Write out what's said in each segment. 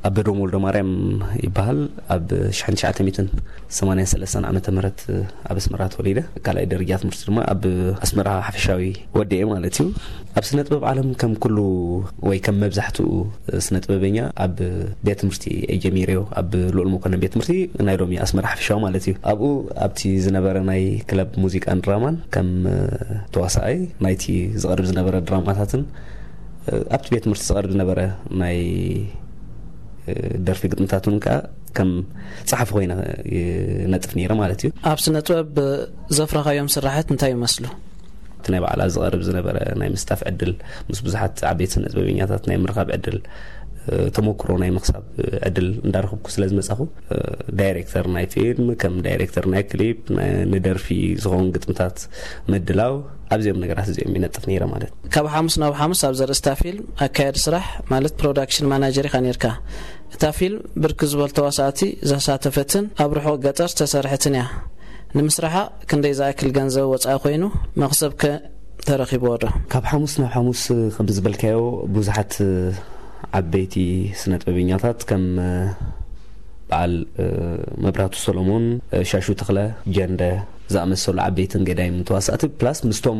ኣበዶም ወልደ ማርያም ይበሃል። ኣብ ሽሕን ትሽዓተ ሚእትን ሰማንያን ሰለስተን ዓመተ ምህረት ኣብ ኣስመራ ተወሊደ። ካልኣይ ደረጃ ትምህርቲ ድማ ኣብ ኣስመራ ሓፈሻዊ ወዲኤ ማለት እዩ። ኣብ ስነ ጥበብ ዓለም ከም ኩሉ ወይ ከም መብዛሕትኡ ስነ ጥበበኛ ኣብ ቤት ትምህርቲ እየ ጀሚረዮ። ኣብ ልኡል መኮንን ቤት ትምህርቲ ናይ ሎሚ ኣስመራ ሓፈሻዊ ማለት እዩ። ኣብኡ ኣብቲ ዝነበረ ናይ ክለብ ሙዚቃን ድራማን ከም ተዋሳኣይ ናይቲ ዝቐርብ ዝነበረ ድራማታትን ኣብቲ ቤት ትምህርቲ ዝቐርብ ዝነበረ ናይ ደርፊ ግጥምታት እውን ከዓ ከም ጸሓፊ ኮይነ ይነጥፍ ነይረ ማለት እዩ። ኣብ ስነ ጥበብ ዘፍረኻዮም ስራሓት እንታይ ይመስሉ? እቲ ናይ ባዕላ ዝቐርብ ዝነበረ ናይ ምስታፍ ዕድል፣ ምስ ብዙሓት ዓበይቲ ስነ ጥበበኛታት ናይ ምርኻብ ዕድል፣ ተመክሮ ናይ ምኽሳብ ዕድል እንዳረኽብኩ ስለ ዝመጻኹ፣ ዳይሬክተር ናይ ፊልም፣ ከም ዳይሬክተር ናይ ክሊፕ፣ ንደርፊ ዝኸውን ግጥምታት ምድላው፣ ኣብዚኦም ነገራት እዚኦም ይነጥፍ ነይረ ማለት። ካብ ሓሙስ ናብ ሓሙስ ኣብ ዘርእስታ ፊልም ኣካያዲ ስራሕ ማለት ፕሮዳክሽን ማናጀር ኢኻ ነርካ። እታ ፊልም ብርክ ዝበል ተዋሳእቲ ዘሳተፈትን ኣብ ርሑቕ ገጠር ዝተሰርሐትን እያ። ንምስራሓ ክንደይ ዝኣክል ገንዘብ ወፃኢ ኮይኑ፣ መኽሰብ ከ ተረኺብዎ ዶ? ካብ ሓሙስ ናብ ሓሙስ ከም ዝበልካዮ ብዙሓት ዓበይቲ ስነ ጥበበኛታት ከም በዓል መብራቱ ሰሎሞን፣ ሻሹ ተኽለ፣ ጀንደ ዝኣመሰሉ ዓበይትን ገዳይም ተዋሳእቲ ፕላስ ምስቶም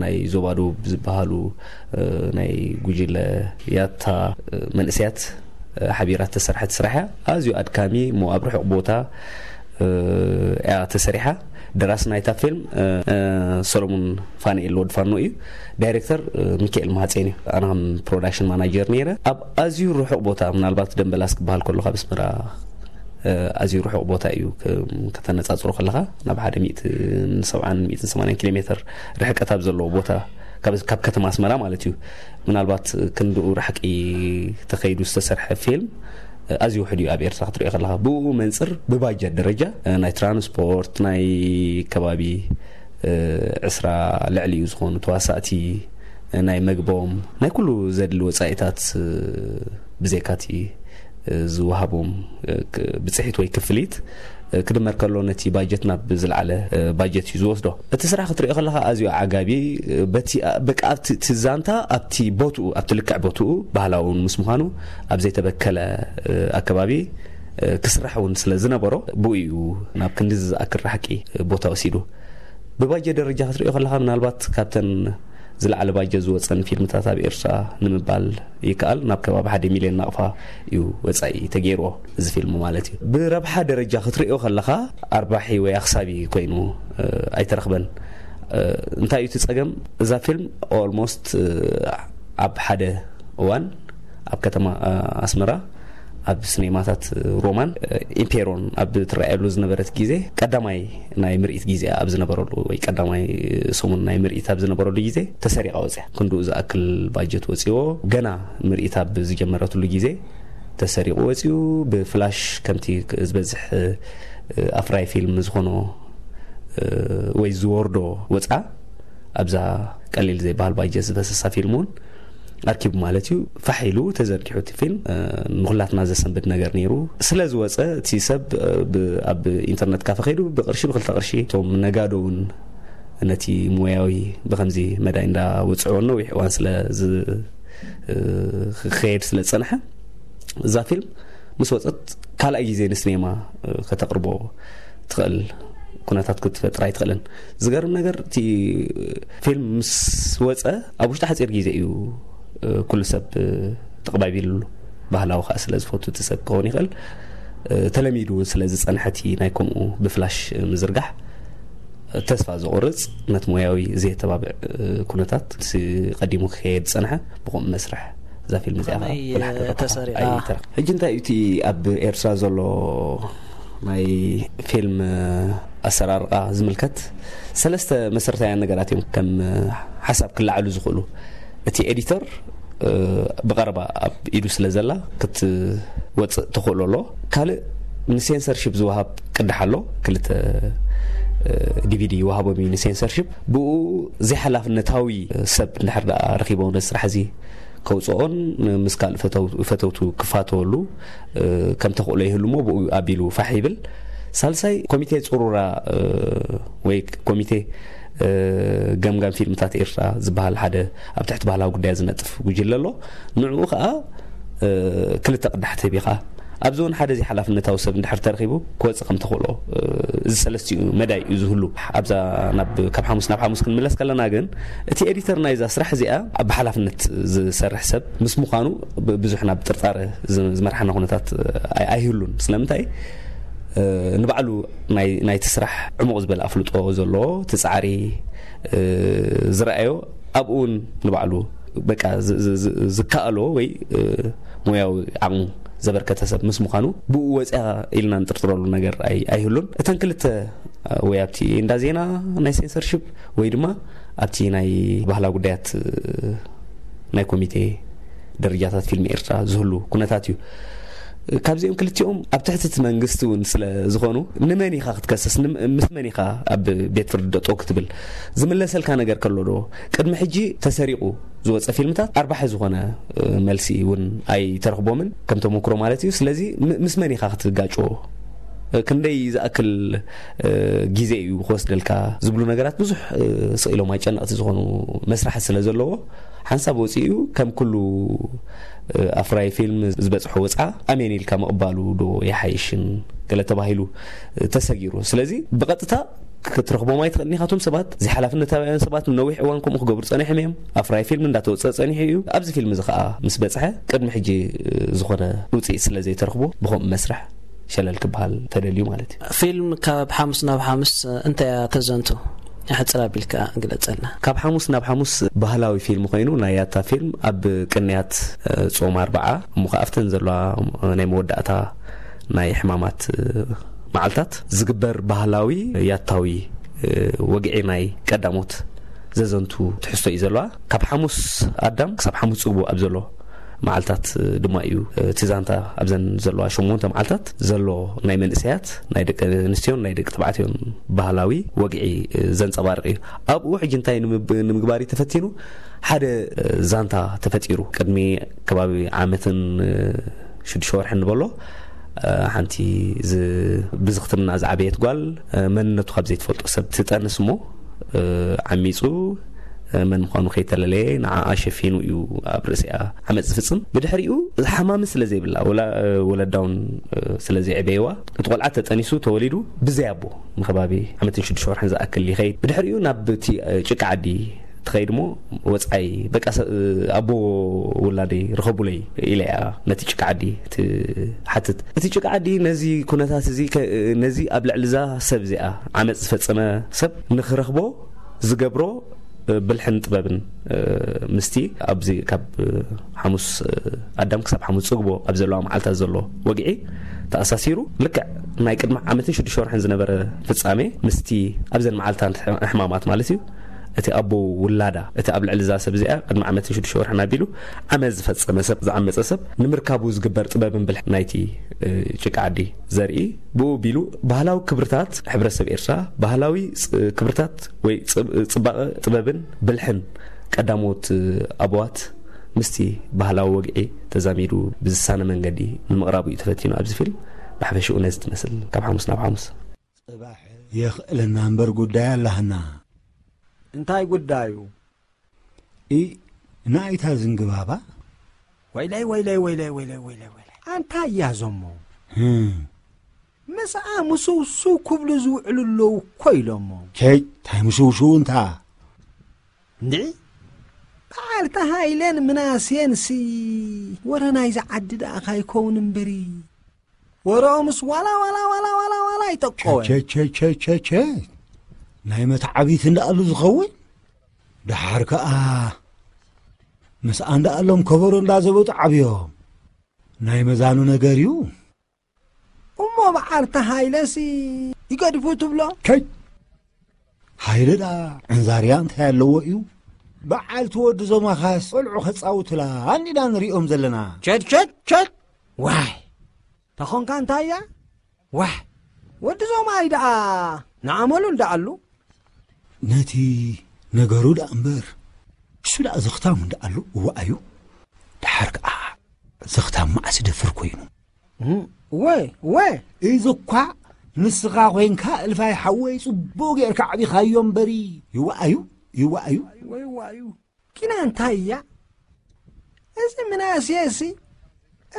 ናይ ዞባ ደቡብ ዝበሃሉ ናይ ጉጅለ ያታ መንእሰያት ሓቢራት ተሰርሐት ስራሕ እያ። ኣዝዩ ኣድካሚ ሞ ኣብ ርሑቕ ቦታ እያ ተሰሪሓ። ደራሲ ናይታ ፊልም ሰሎሙን ፋንኤል ወድፋኖ እዩ። ዳይሬክተር ሚካኤል ማሃፀን እዩ። ኣነ ከም ፕሮዳክሽን ማናጀር ነይረ። ኣብ ኣዝዩ ርሑቕ ቦታ፣ ምናልባት ደንበላስ ክበሃል ከሎ ካብ ኣስመራ ኣዝዩ ርሑቕ ቦታ እዩ። ከተነፃፅሮ ከለኻ ናብ ሓደ ሚእትን ሰብዓን ሚእትን ሰማንያን ኪሎ ሜትር ርሕቀት ኣብ ዘለዎ ቦታ፣ ካብ ከተማ ኣስመራ ማለት እዩ። ምናልባት ክንድኡ ራሕቂ ተኸይዱ ዝተሰርሐ ፊልም ኣዝዩ ውሕድ እዩ ኣብ ኤርትራ ክትሪኦ ከለኻ። ብኡ መንፅር ብባጀት ደረጃ ናይ ትራንስፖርት፣ ናይ ከባቢ ዕስራ ልዕሊ እዩ ዝኾኑ ተዋሳእቲ፣ ናይ መግቦም፣ ናይ ኩሉ ዘድሊ ወፃኢታት ብዘይካቲ ዝወሃቦም ብፅሒት ወይ ክፍሊት ክድመር ከሎ ነቲ ባጀት ናብ ዝለዓለ ባጀት እዩ ዝወስዶ። እቲ ስራሕ ክትሪኦ ከለኻ ኣዝዩ ዓጋቢ፣ በቲ በቃ ኣብቲ እቲ ዛንታ ኣብቲ ቦትኡ ኣብቲ ልክዕ ቦትኡ ባህላዊ እውን ምስ ምዃኑ ኣብ ዘይተበከለ ኣከባቢ ክስራሕ እውን ስለ ዝነበሮ ብኡ እዩ ናብ ክንዲ ዝኣክል ራሕቂ ቦታ ወሲዱ። ብባጀት ደረጃ ክትሪኦ ከለኻ ምናልባት ካብተን ዝለዓለ ባጀት ዝወፀን ፊልምታት ኣብ ኤርትራ ንምባል ይከኣል። ናብ ከባቢ ሓደ ሚልዮን ናቕፋ እዩ ወፃኢ ተገይርዎ እዚ ፊልም ማለት እዩ። ብረብሓ ደረጃ ክትሪኦ ከለኻ ኣርባሒ ወይ ኣኽሳቢ ኮይኑ ኣይተረኽበን። እንታይ እዩ እቲ ፀገም? እዛ ፊልም ኦልሞስት ኣብ ሓደ እዋን ኣብ ከተማ ኣስመራ ኣብ ስኔማታት ሮማን ኢምፔሮን ኣብ ትረኣየሉ ዝነበረት ግዜ ቀዳማይ ናይ ምርኢት ግዜ ኣብ ዝነበረሉ ወይ ቀዳማይ ሰሙን ናይ ምርኢት ኣብ ዝነበረሉ ግዜ ተሰሪቓ ወፅያ። ክንድኡ ዝኣክል ባጀት ወፂዎ። ገና ምርኢት ኣብ ዝጀመረትሉ ግዜ ተሰሪቑ ወፂኡ። ብፍላሽ ከምቲ ዝበዝሕ ኣፍራይ ፊልም ዝኾኖ ወይ ዝወርዶ ወፃ ኣብዛ ቀሊል ዘይበሃል ባጀት ዝፈሰሳ ፊልም እውን ኣርኪቡ ማለት እዩ። ፋሕ ኢሉ ተዘርጊሑ እቲ ፊልም ንኩላትና ዘሰንብድ ነገር ነይሩ። ስለ ዝወፀ እቲ ሰብ ኣብ ኢንተርነት ካፈ ከይዱ ብቅርሺ ብክልተ ቅርሺ እቶም ነጋዶ እውን ነቲ ሞያዊ ብከምዚ መዳይ እንዳወፅዕዎ ነዊሕ እዋን ስለ ዝኸየድ ስለ ዝፀንሐ እዛ ፊልም ምስ ወፀት ካልኣይ ግዜ ንስኔማ ከተቕርቦ ትኽእል ኩነታት ክትፈጥር ኣይትኽእልን። ዝገርም ነገር እቲ ፊልም ምስ ወፀ ኣብ ውሽጢ ሓፂር ግዜ እዩ ኩሉ ሰብ ተቐባቢሉ። ባህላዊ ከዓ ስለ ዝፈቱ እቲ ሰብ ክኸውን ይኽእል ተለሚዱ እውን ስለ ዝፀንሐ እቲ ናይ ከምኡ ብፍላሽ ምዝርጋሕ ተስፋ ዘቑርፅ ነቲ ሞያዊ ዘየተባብዕ ኩነታት ቀዲሙ ክኸየድ ዝፀንሐ ብኸምኡ መስርሕ እዛ ፊልም እዚኣ ከዓ ብላሕቲ ተሰሪዓ። ሕጂ እንታይ እዩ እቲ ኣብ ኤርትራ ዘሎ ናይ ፊልም ኣሰራርቃ ዝምልከት ሰለስተ መሰረታውያን ነገራት እዮም ከም ሓሳብ ክለዓሉ ዝኽእሉ። እቲ ኤዲተር ብቐረባ ኣብ ኢዱ ስለ ዘላ ክትወፅእ ተኽእሎ ኣሎ። ካልእ ንሴንሰርሺፕ ዝወሃብ ቅዳሕ ኣሎ። ክልተ ዲቪዲ ይወሃቦም እዩ ንሴንሰርሺፕ። ብኡ ዘይሓላፍነታዊ ሰብ እንድሕር ደኣ ረኺቦ ነዚ ስራሕ እዚ ከውፅኦን ምስ ካልእ ፈተውቱ ክፋተወሉ ከም ተኽእሎ ይህሉ እሞ ብኡ ኣቢሉ ፋሕ ይብል። ሳልሳይ ኮሚቴ ፅሩራ ወይ ኮሚቴ ገምጋም ፊልምታት ኤርትራ ዝበሃል ሓደ ኣብ ትሕቲ ባህላዊ ጉዳያት ዝነጥፍ ጉጅለ ኣሎ። ንዕኡ ከዓ ክልተ ቅዳሕ ተቢኻ ኣብዚ እውን ሓደ ዘይሓላፍነታዊ ሰብ እንድሕር ተረኺቡ ክወፅእ ከም ተኽእሎ፣ እዚ ሰለስቲኡ መዳይ እዩ ዝህሉ። ኣብዛ ናብ ካብ ሓሙስ ናብ ሓሙስ ክንምለስ ከለና ግን እቲ ኤዲተር ናይዛ ስራሕ እዚኣ ብሓላፍነት ዝሰርሕ ሰብ ምስ ምዃኑ ብዙሕ ናብ ጥርጣረ ዝመርሓና ኩነታት ኣይህሉን። ስለምንታይ? ንባዕሉ ናይቲ ስራሕ ዕሙቕ ዝበለ ኣፍልጦ ዘለዎ፣ እቲ ፃዕሪ ዝረኣዮ ኣብኡ እውን ንባዕሉ በቃ ዝከኣሎ ወይ ሞያዊ ዓቕሙ ዘበርከተ ሰብ ምስ ምዃኑ ብኡ ወፅያ ኢልና ንጥርጥረሉ ነገር ኣይህሉን። እተን ክልተ ወይ ኣብቲ እንዳ ዜና ናይ ሴንሰርሽፕ ወይ ድማ ኣብቲ ናይ ባህላዊ ጉዳያት ናይ ኮሚቴ ደረጃታት ፊልም ኤርትራ ዝህሉ ኩነታት እዩ። ካብዚኦም ክልቲኦም ኣብ ትሕቲ እቲ መንግስቲ እውን ስለ ዝኾኑ፣ ንመን ኢኻ ክትከስስ? ምስ መን ኢኻ ኣብ ቤት ፍርዲ ደጠው ክትብል? ዝምለሰልካ ነገር ከሎ ዶ? ቅድሚ ሕጂ ተሰሪቑ ዝወፀ ፊልምታት ኣርባሒ ዝኾነ መልሲ እውን ኣይተረኽቦምን፣ ከም ተመክሮ ማለት እዩ። ስለዚ ምስ መን ኢኻ ክትጋጭዎ? ክንደይ ዝኣክል ግዜ እዩ ክወስደልካ ዝብሉ ነገራት ብዙሕ ስቕ ኢሎም ኣጨነቕቲ ዝኾኑ መስራሕቲ ስለ ዘለዎ፣ ሓንሳብ ወፂኡ ከም ኩሉ ኣፍራይ ፊልም ዝበፅሖ ወፅዓ ኣሜን ኢልካ ምቕባሉ ዶ ይሓይሽን ገለ ተባሂሉ ተሰጊሩ። ስለዚ ብቐጥታ ክትረኽቦም ኣይትኽእልን ኢኻ። እቶም ሰባት ዘይሓላፍነታውያን ሰባት ንነዊሕ እዋን ከምኡ ክገብሩ ፀኒሖም እዮም። ኣፍራይ ፊልም እንዳተወፀ ፀኒሑ እዩ። ኣብዚ ፊልም እዚ ከዓ ምስ በፅሐ ቅድሚ ሕጂ ዝኾነ ውፅኢት ስለ ዘይተረኽቦ ብኸምኡ መስርሕ ሸለል ክበሃል ተደልዩ ማለት እዩ። ፊልም ካብ ሓሙስ ናብ ሓሙስ እንታይ እያ ተዘንቱ? ሕፅር ኣቢልካ ግለፀልና። ካብ ሓሙስ ናብ ሓሙስ ባህላዊ ፊልም ኮይኑ ናይ ያታ ፊልም ኣብ ቅንያት ጾም ኣርብዓ እሞ ከኣፍተን ዘለዋ ናይ መወዳእታ ናይ ሕማማት መዓልታት ዝግበር ባህላዊ ያታዊ ወግዒ ናይ ቀዳሞት ዘዘንቱ ትሕዝቶ እዩ ዘለዋ። ካብ ሓሙስ ኣዳም ክሳብ ሓሙስ ጽግቦ ኣብ ዘሎ መዓልታት ድማ እዩ እቲ ዛንታ ኣብዘን ዘለዋ ሸሞንተ መዓልታት ዘሎ ናይ መንእሰያት ናይ ደቂ ኣንስትዮን ናይ ደቂ ተባዕትዮን ባህላዊ ወግዒ ዘንጸባርቕ እዩ። ኣብኡ ሕጂ እንታይ ንምግባር እዩ ተፈቲኑ? ሓደ ዛንታ ተፈጢሩ። ቅድሚ ከባቢ ዓመትን ሽዱሽተ ወርሒ ንበሎ ሓንቲ ብዝኽትምና ዝዓበየት ጓል መንነቱ ካብ ዘይትፈልጦ ሰብ ትጠንስ እሞ ዓሚፁ መን ምዃኑ ከይተለለየ ንዓኣ ሸፊኑ እዩ ኣብ ርእሲኣ ዓመፅ ዝፍፅም። ብድሕሪኡ ሓማሚ ስለ ዘይብላ ወላ ወለዳውን ስለ ዘይዕበየዋ እቲ ቆልዓ ተጠኒሱ ተወሊዱ ብዘይ ኣቦ ንከባቢ ዓመትን ሽዱሽተ ወርሕን ዝኣክል ይኸይድ። ብድሕሪኡ ናብ እቲ ጭቃ ዓዲ ትኸይድ እሞ ወፃኢ በቃ ኣቦ ውላደይ ርኸቡለይ ኢለ እያ ነቲ ጭቃ ዓዲ ትሓትት። እቲ ጭቃ ዓዲ ነዚ ኩነታት እዚ ነዚ ኣብ ልዕሊ እዛ ሰብ እዚኣ ዓመፅ ዝፈፀመ ሰብ ንክረኽቦ ዝገብሮ ብልሕን ጥበብን ምስቲ ኣብዚ ካብ ሓሙስ ኣዳም ክሳብ ሓሙስ ፅግቦ ኣብ ዘለዋ መዓልታት ዘሎ ወግዒ ተኣሳሲሩ ልክዕ ናይ ቅድሚ ዓመትን ሽዱሽተ ወርሕን ዝነበረ ፍፃሜ ምስቲ ኣብዘን መዓልታት ሕማማት ማለት እዩ እቲ ኣቦ ውላዳ እቲ ኣብ ልዕሊ እዛ ሰብ እዚኣ ቅድሚ ዓመትን ሽዱሽተ ወርሕን ኣቢሉ ዓመት ዝፈፀመ ሰብ ዝዓመፀ ሰብ ንምርካቡ ዝግበር ጥበብን ብልሕ ናይቲ ጭቃ ዓዲ ዘርኢ ብኡ ቢሉ ባህላዊ ክብርታት ሕብረተሰብ ኤርትራ ባህላዊ ክብርታት ወይ ፅባቐ ጥበብን ብልሕን ቀዳሞት ኣቦዋት ምስቲ ባህላዊ ወግዒ ተዛሚዱ ብዝሳነ መንገዲ ንምቕራቡ እዩ ተፈቲኑ ኣብዚ ፊልም። ብሓፈሽኡ ነዚ ትመስል ካብ ሓሙስ ናብ ሓሙስ። የኽእለና እምበር ጉዳይ ኣላህና። እንታይ ጉዳዩ? ኢ ናይታ ዝንግባባ ወይለይ ወይለይ ወይለይ ወይለይ ወይለይ ወይለይ ኣንታ እያ ዘሞ ህም፣ ምስኣ ምስውስው ክብሉ ዝውዕሉ ኣለዉ እኮ ኢሎሞ። ቸይ ታይ ምስውስው እንታ እንድዒ በዓልቲ ሃይለን ምናሴንሲ ወረ ናይዚ ዓዲ ደኣ ካይከውን እምበሪ ወረኦምስ ዋላ ዋላ ዋላ ዋላ ዋላ ይጠቆወ። ቸቸቸቸቸ ናይ መትዓቢት እንዳኣሉ ዝኸውን ደሓር ከኣ ምስኣ እንዳኣሎም ከበሮ እንዳዘበጡ ዓብዮም ናይ መዛኑ ነገር እዩ። እሞ በዓልቲ ሃይለሲ ይገድፉ ትብሎ። ከይ ሃይለ ደኣ ዕንዛርያ እንታይ ኣለዎ እዩ። በዓልቲ ወዲ ዞማኻስ ቆልዑ ከጻውቱላ ኣንዲና ንሪኦም ዘለና። ቸድ ቸድ ቸድ ዋይ ተኾንካ እንታይ እያ ዋሕ ወዲ ዞማይ ደኣ ንኣመሉ እንዳኣሉ ነቲ ነገሩ ደኣ እምበር እሱ ደኣ ዘኽታሙ እንዳኣሉ እዋኣዩ። ደሓር ከኣ ዘኽታም መዓስ ይደፍር ኮይኑ። እም፣ ወ ወ እዚ እኳ ንስኻ ኮይንካ እልፋይ ሓወይ ጽቡቕ ጌርካ ዓቢኻዮ እምበሪ። ይዋኣዩ ይዋኣዩ። ወይ ዋዩ ኪና እንታይ እያ እዚ ምናሴ ሲ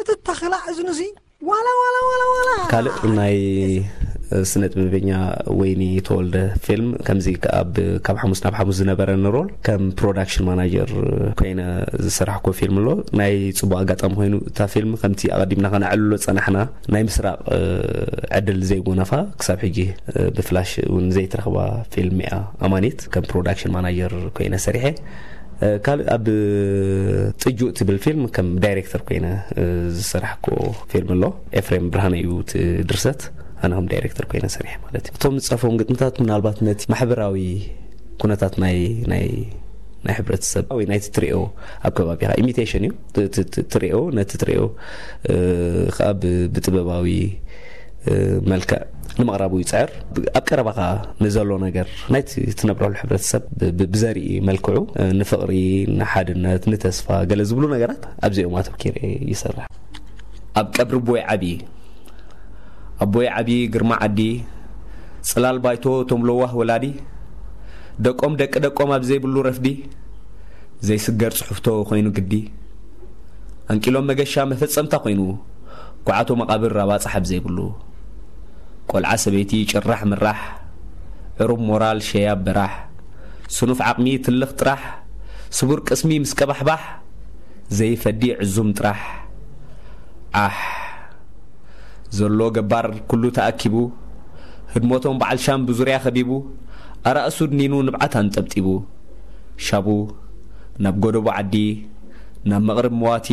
እቲ ተኽላ እዝኑሲ ዋላ ዋላ ዋላ ዋላ። ካልእ ናይ ስነ ጥበበኛ ወይኒ ተወልደ ፊልም ከምዚ፣ ካብ ካብ ሓሙስ ናብ ሓሙስ ዝነበረ ሮል ከም ፕሮዳክሽን ማናጀር ኮይነ ዝሰራሕኮ ፊልም ኣሎ። ናይ ጽቡቕ ኣጋጣሚ ኮይኑ እታ ፊልም ከምቲ ኣቐዲምና ከነዕልሎ ጸናሕና ናይ ምስራቕ ዕድል ዘይጎነፋ፣ ክሳብ ሕጂ ብፍላሽ እውን ዘይትረኽባ ፊልም እያ። ኣማኒት ከም ፕሮዳክሽን ማናጀር ኮይነ ሰሪሐ። ካልእ ኣብ ጥጁእ ትብል ፊልም ከም ዳይሬክተር ኮይነ ዝሰራሕኮ ፊልም ኣሎ። ኤፍሬም ብርሃነ እዩ እቲ ድርሰት፣ ኣነ ከም ዳይሬክተር ኮይነ ሰሪሐ ማለት እዩ። እቶም ዝጸፎም ግጥምታት ምናልባት ነቲ ማሕበራዊ ኩነታት ናይ ናይ ናይ ሕብረተሰብ ወይ ናይቲ ትሪኦ ኣብ ከባቢኻ ኢሚቴሽን እዩ። ት- ት- ት- ትሪኦ ነቲ ትሪኦ እ፣ ከዓ ብ- ብጥበባዊ እ፣ መልክዕ ንምቕራቡ ይፅዕር። ብ- ኣብ ቀረባኻ ንዘሎ ነገር ናይቲ ትነብረሉ ሕብረተሰብ ብ- ብ- ብዘርኢ መልክዑ እ፣ ንፍቕሪ፣ ንሓድነት፣ ንተስፋ ገለ ዝብሉ ነገራት ኣብዚኦም ኣተኪረ ይሰርሕ። ኣብ ቀብሪ ኣቦይ ዓቢ ኣቦይ ዓቢ ግርማ ዓዲ፣ ጽላል ባይቶ እቶም ለዋህ ወላዲ፣ ደቆም ደቂ ደቆም ኣብ ዘይብሉ ረፍዲ ዘይስገር ጽሑፍቶ ኮይኑ ግዲ፣ ኣንቂሎም መገሻ መፈጸምታ ኮይኑ ኳዓቶ መቓብር ኣባጽሕ ኣብ ዘይብሉ፣ ቆልዓ ሰበይቲ ጭራሕ ምራሕ፣ ዕሩብ ሞራል ሸያብ በራሕ፣ ስኑፍ ዓቕሚ ትልኽ ጥራሕ፣ ስቡር ቅስሚ ምስ ቀባሕባሕ ዘይፈዲ ዕዙም ጥራሕ። ዓሕ ዘሎ ገባር ኩሉ ተኣኪቡ፣ ህድሞቶም በዓል ሻም ብዙርያ ከቢቡ፣ ኣራእሱ ድኒኑ ንብዓት ኣንጠብጢቡ። ሻቡ ናብ ጎደቦ ዓዲ፣ ናብ መቕርብ መዋቲ፣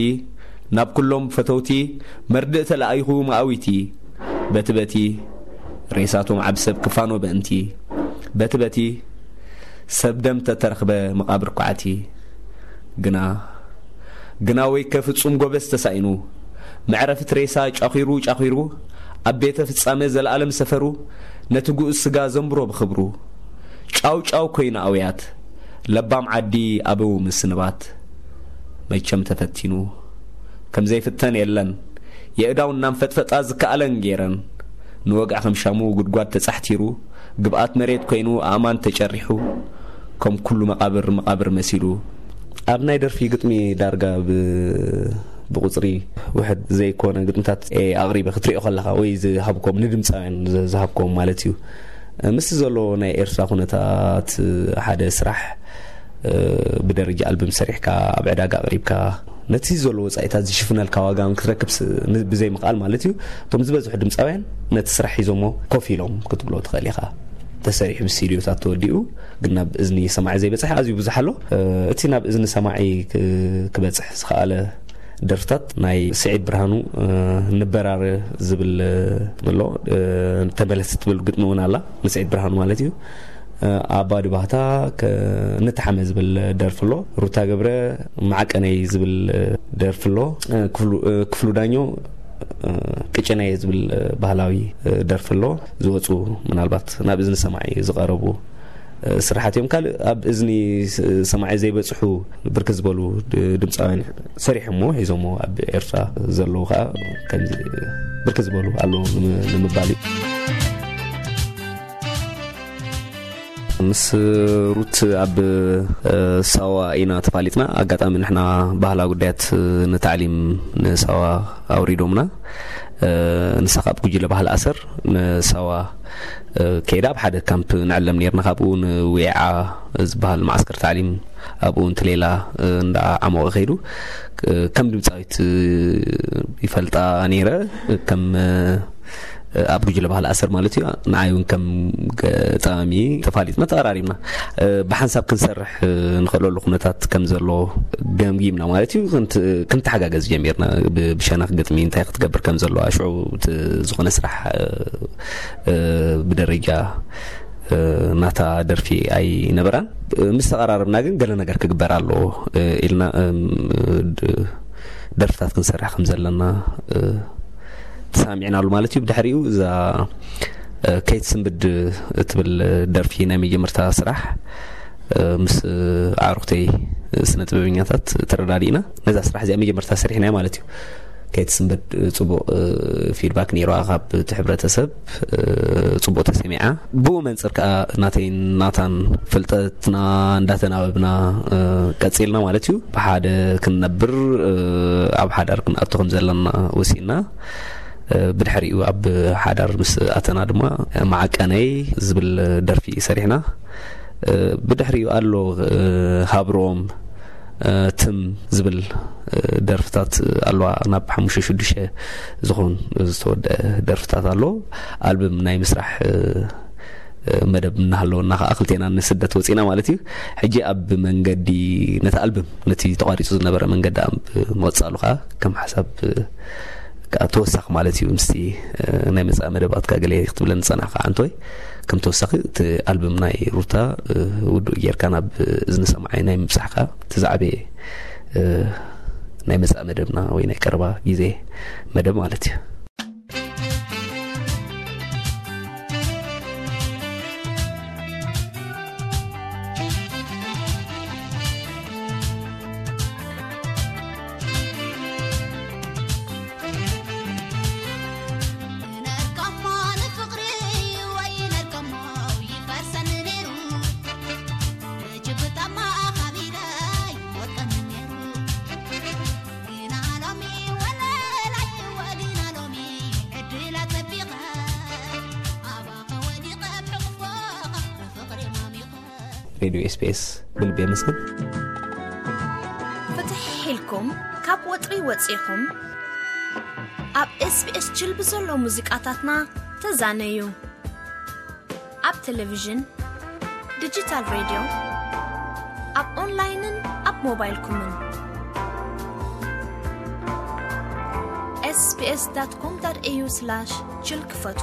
ናብ ኩሎም ፈተውቲ መርድእ ተለኣይኹ መኣዊቲ። በቲ በቲ ሬሳቶም ዓብ ሰብ ክፋኖ በእንቲ። በቲ በቲ ሰብ ደም ተተረኽበ መቓብር ኳዕቲ። ግና ግና ወይከ ፍጹም ጎበዝ ተሳኢኑ፣ መዕረፊት ሬሳ ጫኺሩ ጫኺሩ፣ ኣብ ቤተ ፍጻመ ዘለኣለም ሰፈሩ፣ ነቲ ግኡዝ ስጋ ዘንብሮ ብኽብሩ። ጫው ጫው ኮይኑ ኣውያት ለባም ዓዲ ኣበው ምስንባት። መቸም ተፈቲኑ ከም ዘይፍተን የለን፣ የእዳው እናንፈጥፈጣ ዝከኣለን ገይረን። ንወግዒ ከም ሻሙ ጉድጓድ ተጻሕቲሩ፣ ግብኣት መሬት ኮይኑ ኣእማን ተጨሪሑ፣ ከም ኩሉ መቓብር መቓብር መሲሉ። ኣብ ናይ ደርፊ ግጥሚ ዳርጋ ብ- ብቁጽሪ ውሕድ ዘይኮነ ግጥምታት እየ ኣቕሪበ ክትሪኦ ከለኻ፣ ወይ ዝሃብኮም ንድምፃውያን ዝ- ዝሃብኮም ማለት እዩ። ምስቲ ዘሎ ናይ ኤርትራ ኩነታት ሓደ ስራሕ እ፣ ብደረጃ ኣልበም ሰሪሕካ ኣብ ዕዳጋ ኣቕሪብካ ነቲ ዘሎ ወጻኢታት ዝሽፍነልካ ዋጋ እውን ክትረክብ ስ- ን- ብዘይ ምኽኣል ማለት እዩ። እቶም ዝበዝሑ ድምፃውያን ነቲ ስራሕ ሒዞሞ ኮፍ ኢሎም ክትብሎ ትኽእል ኢኻ። ተሰሪሑ ብስቱዲዮታት ተወዲኡ ግን ናብ እዝኒ ሰማዒ ዘይበፅሕ ኣዝዩ ብዙሕ ኣሎ። እ፣ እቲ ናብ እዝኒ ሰማዒ ክ- ክበፅሕ ዝኸኣለ ደርፍታት ናይ ስዒድ ብርሃኑ እ፣ ንበራር ዝብል እ፣ ኣሎ እ፣ ተመለስ ትብል ግጥሚ እውን ኣላ ንስዒድ ብርሃኑ ማለት እዩ። ኣባዲ ባህታ ከ- ንተሓመ ዝብል ደርፊ ኣሎ። ሩታ ገብረ ማዕቀነይ ዝብል ደርፊ ኣሎ። ክፍሉ ክፍሉ ዳኞ ቅጭነይ ዝብል ባህላዊ ደርፊ ኣሎ። ዝወፁ ምናልባት ናብ እዝኒ ሰማዒ ዝቐረቡ ስራሓት እዮም። ካልእ ኣብ እዝኒ ሰማዒ ዘይበፅሑ ብርክት ዝበሉ ድምፃውያን ሰሪሖሞ ሒዞሞ ኣብ ኤርትራ ዘለዉ ከዓ ከምዚ ብርክት ዝበሉ ኣለዉ ንምባል እዩ። ምስ ሩት ኣብ ሳዋ ኢና ተፋሊጥና። ኣጋጣሚ ንሕና ባህላ ጉዳያት ንታዕሊም ንሳዋ ኣውሪዶምና። ንሳ ካብ ጉጅለ ባህል ኣሰር ንሳዋ ከይዳ ኣብ ሓደ ካምፕ ንዕለም ነርና። ካብኡ ንዊዓ ዝበሃል መዓስከር ታዕሊም ኣብኡ እንትሌላ እንዳ ዓሞቐ ከይዱ ከም ድምፃዊት ይፈልጣ ነይረ። ከም ኣብ ጉጅለ ባህል ኣሰር ማለት እዩ። ንዓይ እውን ከም ገጣሚ ተፋሊጥና ተቐራሪብና ብሓንሳብ ክንሰርሕ ንኽእለሉ ኩነታት ከም ዘሎ ገምጊምና ማለት እዩ። ክንተሓጋገዝ ጀሚርና። ብሸነኽ ግጥሚ እንታይ ክትገብር ከም ዘለዋ ሽዑ ዝኾነ ስራሕ ብደረጃ ናታ ደርፊ ኣይነበራን። ምስ ተቐራረብና ግን ገለ ነገር ክግበር ኣለዎ ኢልና ደርፍታት ክንሰርሕ ከም ዘለና ተሳሚዕናሉ ማለት እዩ። ብድሕሪኡ እዛ ከይት ስንብድ እትብል ደርፊ ናይ መጀመርታ ስራሕ ምስ ኣዕሩኽተይ ስነ ጥበበኛታት ተረዳዲእና ነዛ ስራሕ እዚኣ መጀመርታ ሰሪሕናያ ማለት እዩ። ከይትስንበድ ጽቡቕ ፊድባክ ነይርዋ ካብ እቲ ሕብረተሰብ። ጽቡቕ ተሰሚዓ። ብኡ መንፅር ከዓ ናተይን ናታን ፍልጠትና እንዳተናበብና ቀፂልና ማለት እዩ። ብሓደ ክንነብር፣ ኣብ ሓዳር ክንኣቱ ከም ዘለና ወሲና። ብድሕሪኡ ኣብ ሓዳር ምስ ኣተና ድማ ማዕቀነይ ዝብል ደርፊ ሰሪሕና። ብድሕሪኡ ኣሎ ሃብሮም፣ ትም ዝብል ደርፍታት ኣለዋ። ናብ ሓሙሽተ ሽዱሽተ ዝኾን ዝተወደአ ደርፍታት ኣሎ። ኣልበም ናይ ምስራሕ መደብ እናሃለወና ከዓ ክልቴና ንስደት ወፂና ማለት እዩ። ሕጂ ኣብ መንገዲ ነቲ ኣልበም፣ ነቲ ተቋሪፁ ዝነበረ መንገዲ ኣብ ምቕፃሉ ከዓ ከም ሓሳብ ከዓ ተወሳኺ ማለት እዩ። ምስቲ ናይ መፃኢ መደባትካ ገለ ክትብለን ዝፀናሕካ ዓንቶይ፣ ከም ተወሳኺ እቲ ኣልበም ናይ ሩታ ውዱእ ጌርካ ናብ እዝኒ ሰማዓይ ናይ ምብፃሕካ እቲ ዝዓበየ ናይ መፃኢ መደብና ወይ ናይ ቀረባ ግዜ መደብ ማለት እዩ። ሬድዮ ኤስቢኤስ ብልቢ የመስግን። ፍትሕ ኢልኩም ካብ ወጥሪ ወፂኹም ኣብ ኤስቢኤስ ጅልቢ ዘሎ ሙዚቃታትና ተዛነዩ። ኣብ ቴሌቪዥን፣ ዲጂታል ሬድዮ፣ ኣብ ኦንላይንን ኣብ ሞባይልኩምን። ኤስቢኤስ ዳት ኮም ዳት ኤዩ ስላሽ ጅል ክፈቱ።